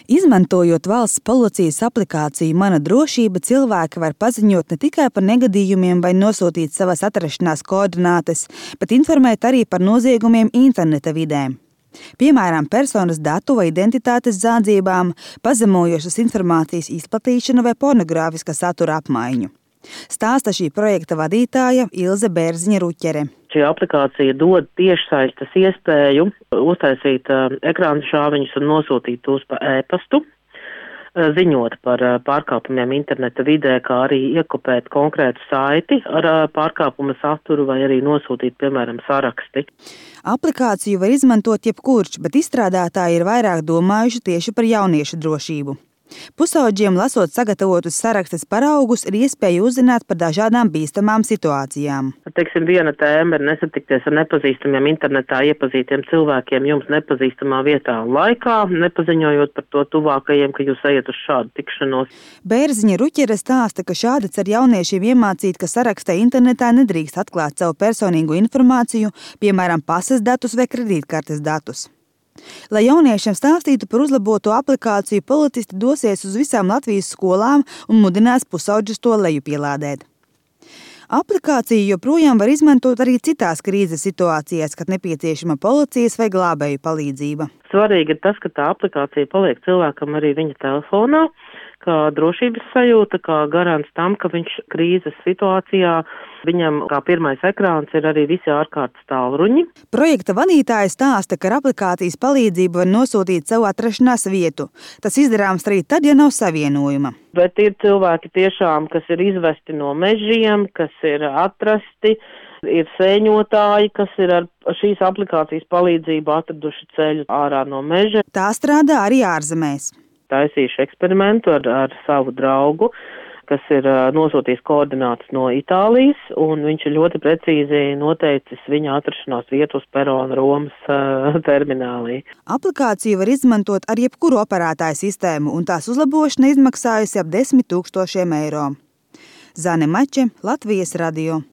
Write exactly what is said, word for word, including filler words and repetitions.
Izmantojot valsts policijas aplikāciju Mana drošība, cilvēki var paziņot ne tikai par negadījumiem vai nosūtīt savas atrašanās koordinātes, bet informēt arī par noziegumiem interneta vidē. Piemēram, personas datu vai identitātes zādzībām, pazemojošas informācijas izplatīšanu vai pornogrāfiska satura apmaiņu. Stāsta šī projekta vadītāja Ilze Bērziņa-Ruķere. Šī aplikācija dod tiešsaistes iespēju uztaisīt uh, ekrāna šāviņus un nosūtīt tos pa e-pastu, uh, ziņot par uh, pārkāpumiem interneta vidē, kā arī iekopēt konkrētu saiti ar uh, pārkāpuma saturu vai arī nosūtīt, piemēram, saraksti. Aplikāciju var izmantot jebkurš, bet izstrādātāji ir vairāk domājuši tieši par jauniešu drošību. Pusaudžiem, lasot sagatavotus sarakstes paraugus, ir iespēja uzzināt par dažādām bīstamām situācijām. Teiksim, viena tēma ir nesatikties ar nepazīstamiem internetā iepazītiem cilvēkiem jums nepazīstamā vietā un laikā, nepaziņojot par to tuvākajiem, ka jūs ejat uz šādu tikšanos. Bērziņa-Ruķere stāsta, ka šādi cer jauniešiem iemācīt, ka sarakstē internetā nedrīkst atklāt savu personīgo informāciju, piemēram, pases datus vai kredītkartes datus. Lai jauniešiem stāstītu par uzlaboto aplikāciju, policisti dosies uz visām Latvijas skolām un mudinās pusaudžus to lejupielādēt. Aplikāciju joprojām var izmantot arī citās krīzes situācijās, kad nepieciešama policijas vai glābēju palīdzība. Svarīgi ir tas, ka tā aplikācija paliek cilvēkam arī viņa telefonā, kā drošības sajūta, kā garants tam, ka viņš krīzes situācijā, viņam kā pirmais ekrāns ir arī visi ārkārtas tālruņi. Projekta vadītāja stāsta, ka ar aplikācijas palīdzību var nosūtīt savu atrašanās vietu. Tas izdarāms arī tad, ja nav savienojuma. Bet ir cilvēki tiešām, kas ir izvesti no mežiem, kas ir atrasti, ir sēņotāji, kas ir ar šīs aplikācijas palīdzību atraduši ceļu ārā no meža. Tā strādā arī ārzemēs. Taisīšu eksperimentu ar, ar savu draugu, kas ir uh, nosūtījis koordinātas no Itālijas, un viņš ir ļoti precīzi noteicis viņa atrašanās vietu uz perona Romas uh, terminālī. Aplikāciju var izmantot ar jebkuru operētāju sistēmu, un tās uzlabošana izmaksājusi ap desmit tūkstošiem eiro. Zane Mače, Latvijas radio.